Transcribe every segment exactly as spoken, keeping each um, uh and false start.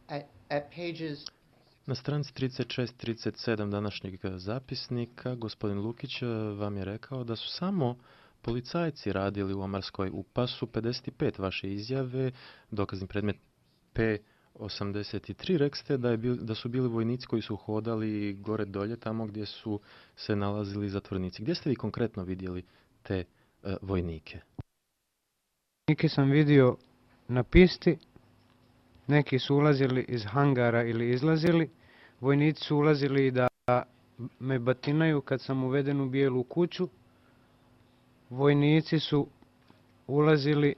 At, at pages Na stranici trideset šest trideset sedam današnjeg zapisnika gospodin Lukić vam je rekao da su samo policajci radili u Omarskoj. U pasu pedeset pet vaše izjave, dokazni predmet P osamdeset tri, rekli ste da, je bil, da su bili vojnici koji su hodali gore dolje tamo gdje su se nalazili zatvornici. Gdje ste vi konkretno vidjeli te uh, vojnike? Vojnike sam vidio na pisti, neki su ulazili iz hangara ili izlazili. Vojnici su ulazili da me batinaju kad sam uveden u bijelu kuću. Vojnici su ulazili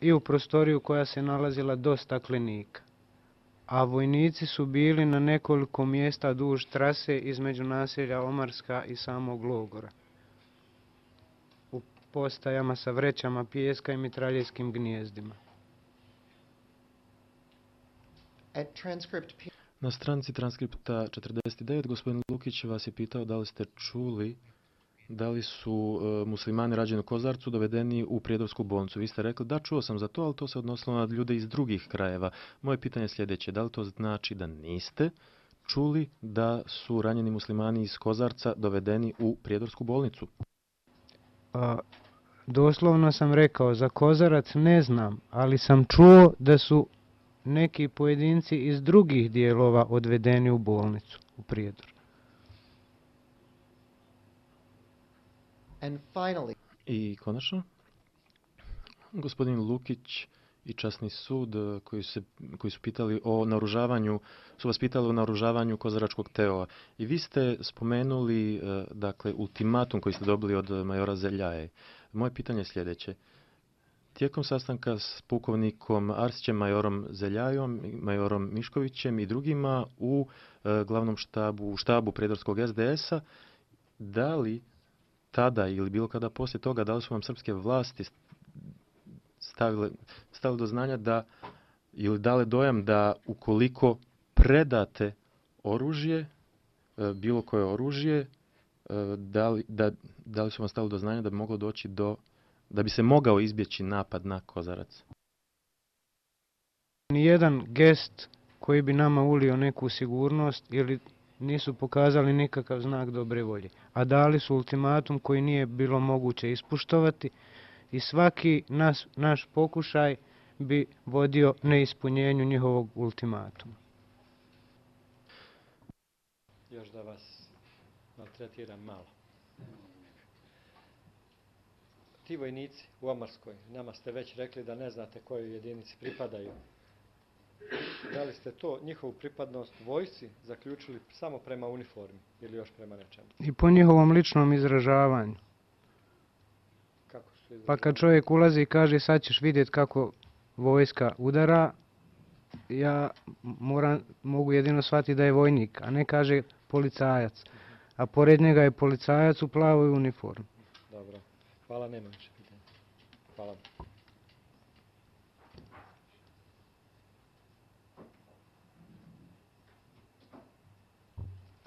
i u prostoriju koja se nalazila do staklenika. A vojnici su bili na nekoliko mjesta duž trase između naselja Omarska i samog logora. U postajama sa vrećama pijeska i mitraljejskim gnjezdima. at transcript P Na stranici transkripta četrdeset devet gospodin Lukić vas je pitao da li ste čuli da li su uh, muslimani rađeni u Kozarcu dovedeni u Prijedorsku bolnicu. Vi ste rekli da čuo sam za to, ali to se odnosilo na ljude iz drugih krajeva. Moje pitanje je sljedeće, da li to znači da niste čuli da su ranjeni muslimani iz Kozarca dovedeni u Prijedorsku bolnicu? A, doslovno sam rekao, za Kozarac ne znam, ali sam čuo da su neki pojedinci iz drugih dijelova odvedeni u bolnicu u Prijedor. and finally I konačno, gospodin Lukić i časni sud koji, se, koji su pitali o naoružavanju, su vas pitali o naoružavanju Kozaračkog T O A. I vi ste spomenuli dakle, ultimatum koji ste dobili od majora Zeljaje. Moje pitanje je sljedeće. Tijekom sastanka s pukovnikom Arsićem, majorom Zeljajom, majorom Miškovićem i drugima u e, glavnom štabu, štabu Prijedorskog S D S-a, da li tada ili bilo kada poslije toga, da li su vam srpske vlasti stavile, stavile do znanja da, ili dale dojam da ukoliko predate oružje, e, bilo koje oružje, e, da li, da, da li su vam stavili do znanja da bi moglo doći do da bi se mogao izbjeći napad na Kozarac? Nijedan gest koji bi nama ulio neku sigurnost ili nisu pokazali nikakav znak dobre volje, a dali su ultimatum koji nije bilo moguće ispuštovati i svaki nas, naš pokušaj bi vodio neispunjenju njihovog ultimatuma. Još da vas maltretiram malo. Ti vojnici u Omarskoj, nama ste već rekli da ne znate kojoj jedinici pripadaju. Da li ste to, njihovu pripadnost vojsci, zaključili samo prema uniformi ili još prema nečemu? I po njihovom ličnom izražavanju. Kako su izražavali? Pa kad čovjek ulazi i kaže sad ćeš vidjeti kako vojska udara, ja moram, mogu jedino shvatiti da je vojnik, a ne kaže policajac. A pored njega je policajac u plavoj uniformi. Dobro. Hvala, nema više pitanja. Hvala.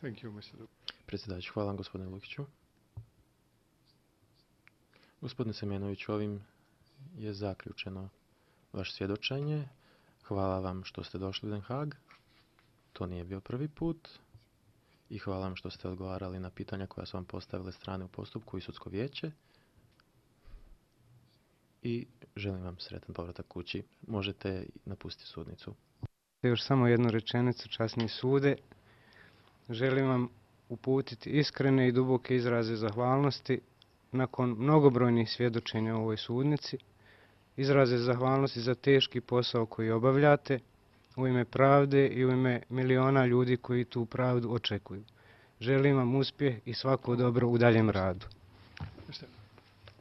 Thank you, mister Predsjedavajući, hvala vam gospodine Lukiću. Gospodine Semenović, ovim je zaključeno vaše svjedočenje. Hvala vam što ste došli u Den Haag. To nije bio prvi put. I hvala vam što ste odgovarali na pitanja koja su vam postavile strane u postupku i sudsko vijeće. I želim vam sretan povratak kući. Možete napustiti sudnicu. Još samo jednu rečenicu, časni sude. Želim vam uputiti iskrene i duboke izraze zahvalnosti nakon mnogobrojnih svjedočenja u ovoj sudnici. Izraze zahvalnosti za teški posao koji obavljate u ime pravde i u ime miliona ljudi koji tu pravdu očekuju. Želim vam uspjeh i svako dobro u daljem radu. mister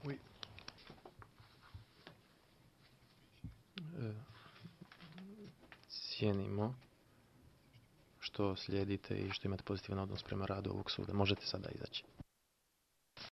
We Cijenimo što slijedite i što imate pozitivan odnos prema radu ovog suda. Možete sada izaći.